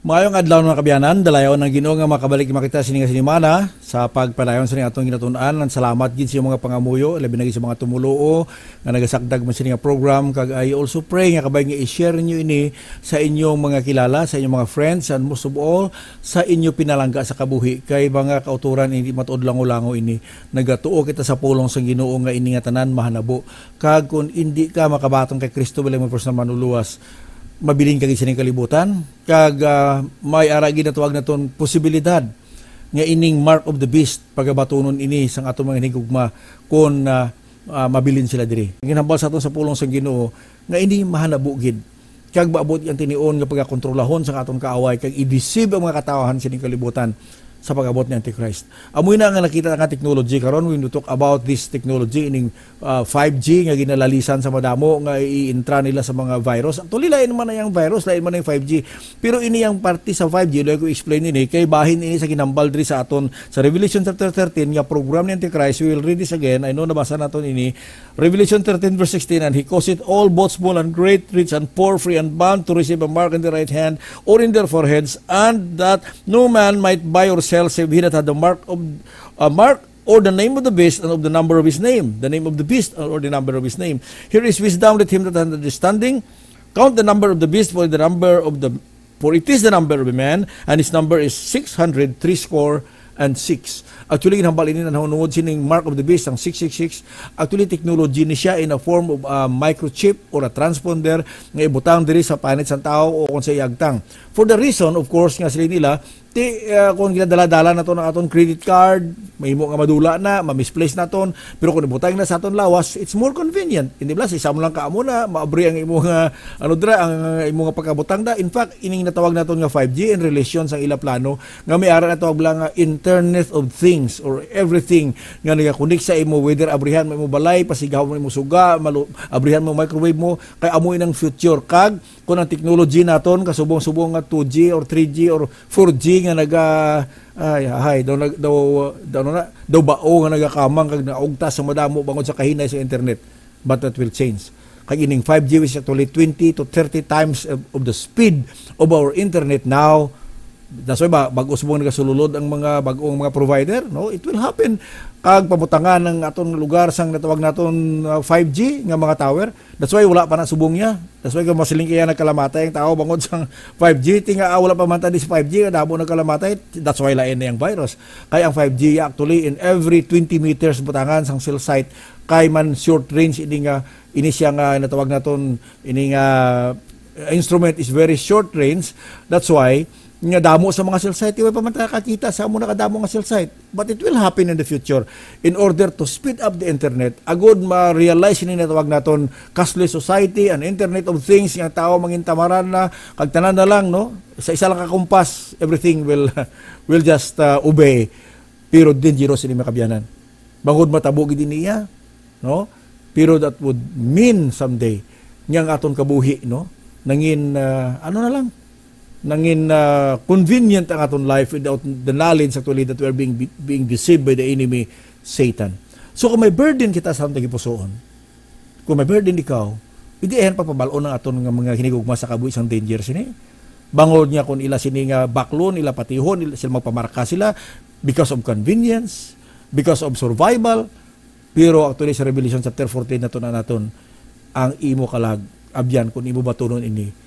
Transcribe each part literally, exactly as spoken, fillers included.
Maayong adlaw, mga kaabyanan. Dalayawon ang Ginoo nga makabalik makita sini nga sinimana sa pagpadayon sa atong ginatun-an. Ang salamat gid sa inyong mga pangamuyo, labi na gid sa mga tumuluo nga nagasagdag man sini nga program. Kag I also pray nga kabay nga i-share ninyo ini sa inyong mga kilala, sa inyong mga friends, and most of all, sa inyo pinalangga sa kabuhi. Kay mga kauturan, hindi matuod lango-lango ini. Nagatuo kita sa pulong sang Ginoo nga ini nga tanan mahanabo. Kag kung hindi ka makabaton kay Kristo bilang imong personal manluluwas, mabilin ka gid sining kalibutan. Kag, ah, may ara gid natawag naton posibilidad nga ining mark of the beast, pagabatunon ini sang aton mga hinigugma kung, ah, ah, mabilin sila diri. Ginhambal sa aton sa pulong sang Ginoo nga ini mahanabo gid. Kag maabot ang tinion nga pagakontrolahon sang aton kaaway kag i-deceive ang mga katawhan sining kalibutan sa pag-abot ni Antichrist. Amoy na nga nakita nga technology karon, when we talk about this technology, ining, ah, five G nga ginalalisan sa madamo nga i-intra nila sa mga virus. Actually, lain man na yung virus, lain man na yung five G. Pero ini yung parte sa five G, layo ko explain ini, kay bahin ini sa ginhambal diri sa aton sa Revelation chapter thirteen nga program ni Antichrist. We will read this again. I know nabasa naton ini. Revelation thirteen verse sixteen, "And he causeth all, both small and great, rich and poor, free and bond, to receive a mark in their right hand or in their foreheads, and that no man might buy or sell save he that had the mark of, a mark or the name of the beast and of the number of his name." The name of the beast or the number of his name. "Here is wisdom, let him that hath understanding count the number of the beast, for the number of the, for it is the number of a man, and his number is six hundred threescore and six." Actually, ginhambal ini na nahunungod sining mark of the beast, ang six six six. Actually, technology ni siya in a form of, ah, microchip or a transponder nga ibutang diri sa panit sang tawo o kung sa iyagtang. For the reason, of course, nga sila nila, ti, ah, kung ginadala-dala nato ang aton credit card, mahimo nga madula na, ma-misplace naton, pero kung ibutang na sa aton lawas, it's more convenient. Hindi ba, sa isa mo lang ka amo na, maabri ang imo nga, ano dira, ang imo nga pagkabutang da. In fact, ining natawag naton nga five G in relation sa ila plano, nga may ara natawag lang nga Internet of Things or everything nga nagakunik sa imo, whether abrihan mo imo balay, pasigahon mo imo suga, malu-, abrihan mo microwave mo, kay amo inang future. Kag kung ang technology naton kasubong-subong nga two G or three G or four G nga naga, ay, ay, daw nag-, daw, daw, ano na, daw bao nga nagakamang kag naugtas sa madamo bangod sa kahinay sa internet. But that will change. Kag ining five G is actually twenty to thirty times of, of the speed of our internet now. That's why ba, bag-o subong nagasululod ang mga bag-ong mga provider, no? It will happen. Kag pabutangan ang aton lugar sang natawag naton, uh, five G nga mga tower. That's why wala pa na subong niya. That's why kung masiling kaya nagkalamatay ang tao bangod sang five G, tinga, ah, wala pa man tadi sa five G, damo nagkalamatay. That's why lain na yung virus. Kaya ang five G actually in every twenty meters butangan sang cell site, kay man short range ini nga, ini siya nga natawag naton, ini nga instrument is very short range. That's why nga damo sa mga cell site, di pa man ta kakita sa amo nakadamo nga cell site. But it will happen in the future in order to speed up the internet. Agod ma-realize ini natawag naton cashless society, an internet of things, nga tao mangintamaran na, kag tanan na lang, no? Sa isa lang ka kumpas, everything will, will just, uh, obey. Pero dangerous ini, mga kabyanan. Bangod matabo gid ini iya, no? Pero that would mean someday nga ang aton kabuhi, no? Nangin, ah, ano na lang, nangin, ah, convenient ang aton life without the knowledge actually that we are being, being deceived by the enemy, Satan. So kung may burden kita sa aton tagipusoon, kung may burden ikaw, hindi ayan pagpabalon ang aton nga mga hinigugma sa kabuhi sang danger sini. Bangod nga kung ila sini nga baklon, ila patihon, ila, sila magpamarka sila because of convenience, because of survival. Pero actually sa Revelation chapter fourteen nato na naton, ang imo kalag, abyan, kung imo batunon ini,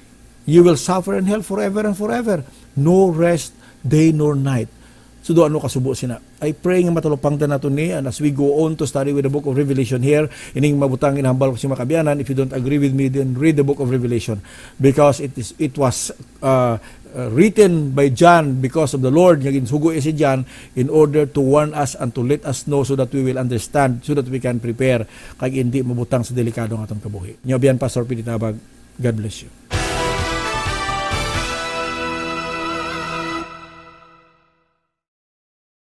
you will suffer in hell forever and forever. No rest, day nor night. So, do ano kasubo sina. I pray nga matalupangtan nato ni, and as we go on to study with the book of Revelation here, ining mabutang ginahambal ko sa mga kabyanan, if you don't agree with me, then read the book of Revelation. Because it is, it was, uh, uh, written by John because of the Lord, nga ginsugo si John in order to warn us and to let us know so that we will understand, so that we can prepare, kag hindi mabutang sa delikado nga atong kabuhi. Nyo biyan, Pastor Pinitabag, God bless you.